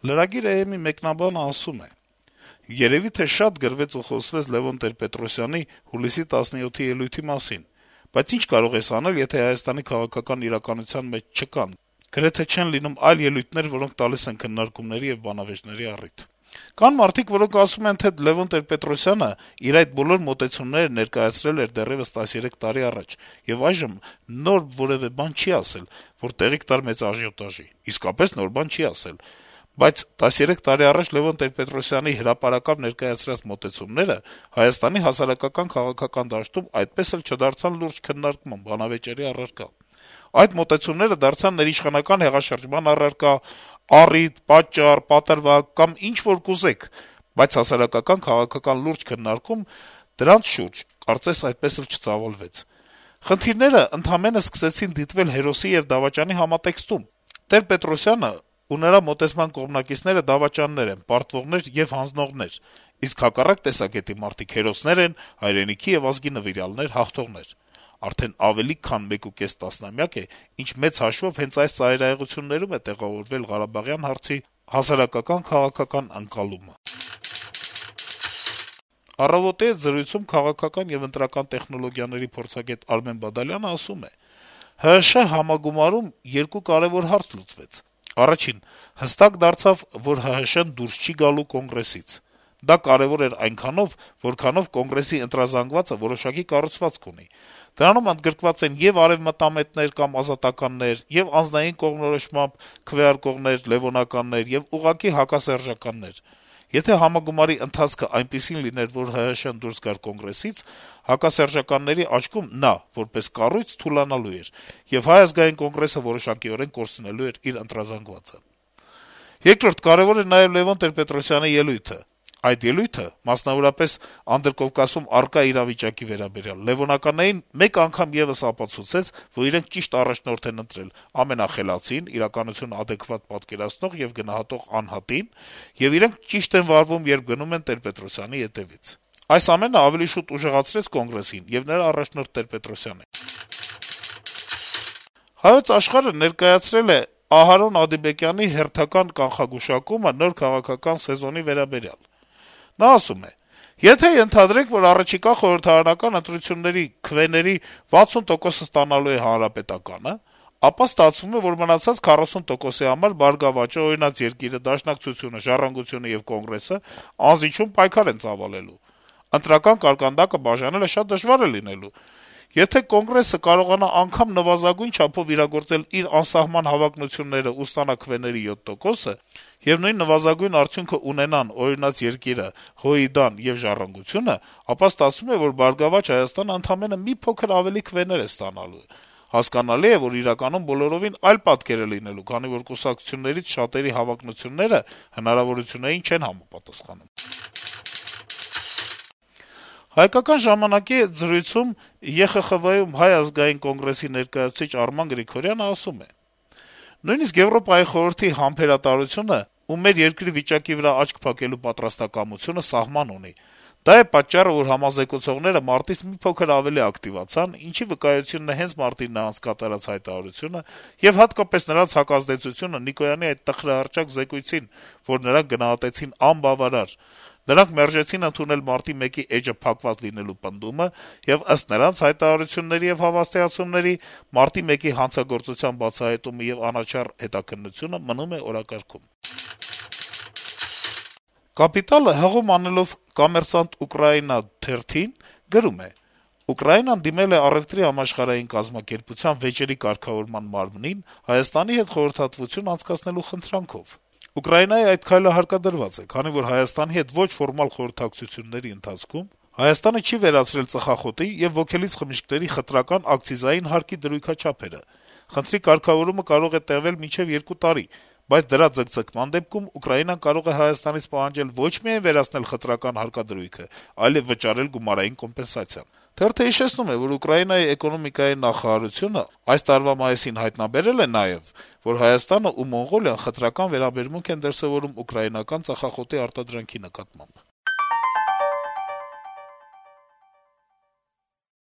Lragir.am-ի մեկնաբանը ասում է. - «Երեւի թե շատ գրվեց ու խոսվեց Լեւոն Տեր-Պետրոսյանի հուլիսի 17-ի ելույթի մասին, բայց ինչ կարող ես անել, եթե Հայաստանի քաղաքական իրականության մեջ չկան, գրեթե չեն լինում այլ ելույթներ, որոնք տալիս են քննարկումների եւ բանավեճների առիթ: Կան մարդիկ, որոնք ասում են, թե Լեւոն Տեր-Պետրոսյանը իր այդ բոլոր մոտեցումները ներկայացրել էր դեռեւս 13 տարի առաջ, եւ այժմ նոր որեւէ բան չի ասել, որ տեղիք տար մեծ աժիոտաժի: Իսկապես նոր բան չի ասել: Բայց 13 տարի առաջ Լեւոն Տեր-Պետրոսյանի հրապարակավ ներկայացրած մոտեցումները Հայաստանի հասարակական քաղաքական դաշտում այդպես էլ չդարձան լուրջ քննարկման, բանավեճերի առարկա: Այդ մոտեցումները դարձան ներիշխանական հեղաշրջման առարկա, առիթ, պատճառ, պատրվակ կամ ինչ որ կուզեք, բայց հասարակական քաղաքական լուրջ քննարկում դրանց շուրջ կարծես այդպես էլ չծավալվեց: Խնդիրները ընդամենը սկսեցին դիտվել հերոսի եւ դավաճանի համատեքստում: Տեր-Պետրոսյանը ու նրա մոտեցման կողմնակիցները դավաճաններ են, պարտվողներ եւ հանձնողներ, իսկ հակառակ տեսակետի մարդիկ հերոսներ են, հայրենիքի եւ ազգի նվիրյալներ, հաղթողներ: Արդեն ավելի քան 1.5 տասնամյակ է, ինչ մեծ հաշվով հենց այս ծայրահեղություններում է տեղավորվել Ղարաբաղյան հարցի հասարակական-քաղաքական ընկալումը»: «Առավոտ»-ի հետ զրույցում քաղաքական եւ ընտրական տեխնոլոգիաների փորձագետ Արմեն Բադալյանը ասում է. - «ՀՀՇ համագումարում երկու կարեւոր հարց լուծվեց: Առաջին. հստակ դարձավ, որ ՀՀՇ-ն դուրս չի գալու Կոնգրեսից: Դա կարեւոր էր այնքանով, որքանով Կոնգրեսի ընտրազանգվածը որոշակի կառուցվածք ունի: Դրանում ընդգրկված են ե'ւ արեւմտամետներ կամ ազատականներ, ե'ւ անձնային կողմնորոշմամբ քվեարկողներ, լեւոնականներ, եւ ուղղակի հակասերժականներ: Եթե համագումարի ընթացքը այնպիսին լիներ, որ ՀՀՇ-ն դուրս գար Կոնգրեսից, հակասերժականների աչքում նա, որպես կառույց, թուլանալու էր, եւ Հայ ազգային կոնգրեսը որոշակիորեն կորցնելու էր իր ընտրազանգվածը: Երկրորդ, կարեւոր էր նաեւ Լեւոն Տեր-Պետրոսյանի ելույթը: Այդ ելույթը, մասնավորապես Անդրկովկասում առկա իրավիճակի վերաբերյալ, լեւոնականներին մեկ անգամ եւս ապացուցեց, որ իրենք ճիշտ առաջնորդ են ընտրել ամենախելացին, իրականությունը ադեկվատ պատկերացնող եւ գնահատող անհատին, եւ իրենք ճիշտ են վարվում, երբ գնում են Տեր-Պետրոսյանի ետեւից: Այս ամենը ավելի շուտ ուժեղացրեց Կոնգրեսին եւ նրա առաջնորդ Տեր-Պետրոսյանին»: «Հայոց Աշխարհ»-ը ներկայացրել է Ահարոն Ադիբեկյանի հերթական կանխագուշակումը նոր քաղաքական սեզոնի վերաբերյալ: Նա ասում է. - «Եթե ենթադրենք, որ առաջիկա խորհրդարանական ընտրությունների քվեների 60%-ը ստանալու է Հանրապետականը, ապա ստացվում է, որ մնացած 40%-ի համար «Բարգավաճը», «Օրինաց երկիր»-ը, Դաշնակցությունը, «Ժառանգությունը» եւ Կոնգրեսը անզիջում պայքար են ծավալելու: Ընտրական կարկանդակը բաժանելը շատ դժվար է լինելու: Եթե Կոնգրեսը կարողանա անգամ նվազագույն չափով իրագործել իր անսահման հավակնություններն ու ստանա քվեների 7%-ը, եւ նույն նվազագույն արդյունքը ունենան «Օրինաց երկիր»-ը, «ՀՅԴ»-ն եւ «Ժառանգությունը», ապա ստացվում է, որ «Բարգավաճ Հայաստան»-ը ընդամենը մի փոքր ավելի քվեներ է ստանալու: Հասկանալի է, որ իրականում բոլորովին այլ պատկեր է լինելու, քանի որ կուսակցություններից շատերի հավակնությունները հնարավորություններին չեն համապատասխանում»: «Հայկական ժամանակ»-ի հետ զրույցում ԵԽԽՎ-ում Հայ ազգային կոնգրեսի ներկայացուցիչ Արման Գրիգորյանը ասում է. - «Նույնիսկ Եվրոպայի խորհրդի համբերատարությունը ու մեր երկրի վիճակի վրա աչք փակելու պատրաստակամությունը սահման ունի: Դա է պատճառը, որ համազեկուցողները մարտից մի փոքր ավելի ակտիվացան, ինչի վկայությունն է հենց մարտին նրանց կատարած հայտարարությունը եւ հատկապես նրանց հակազդեցությունը Նիկոյանի այդ տխրահռչակ զեկույցին, որ նրանք գնահատեցին անբավարար: Նրանք մերժեցին ընդունել մարտի 1-ի էջը փակված լինելու պնդումը, եւ ըստ նրանց հայտարարությունների եւ հավաստիացումների, մարտի 1-ի հանցագործության բացահայտումը եւ անաչառ հետաքննությունը մնում է օրակարգում»: «Կապիտալ»-ը հղում անելով «Կոմերսանտ Ուկրաինա» թերթին գրում է. - «Ուկրաինան դիմել է Առեւտրի համաշխարհային կազմակերպության վեճերի կարգավորման մարմնին Հայաստանի հետ խորհրդատվություն անցկացնելու խնդրանքով: Ուկրաինայի այդ քայլը հարկադրված է, քանի որ Հայաստանի հետ ոչ ֆորմալ խորհրդակցությունների ընթացքում Հայաստանը չի վերացրել ծխախոտի եւ ոգելից խմիչքների խտրական ակցիզային հարկի դրույքաչափերը: Խնդրի կարգավորումը կարող է տեւել մինչեւ 2 տարի, բայց դրա ձգձգման դեպքում Ուկրաինան կարող է Հայաստանից պահանջել ոչ միայն վերացնել խտրական հարկադրույքը, այլեւ վճարել գումարային կոմպենսացիա: Թերթը հիշեցնում է, որ Ուկրաինայի էկոնոմիկայի նախարարությունը այս տարվա մայիսին հայտնաբերել է նաեւ, որ Հայաստանն ու Մոնղոլիան խտրական վերաբերմունք են դրսեւորում ուկրաինական ծխախոտի արտադրանքի նկատմամբ»: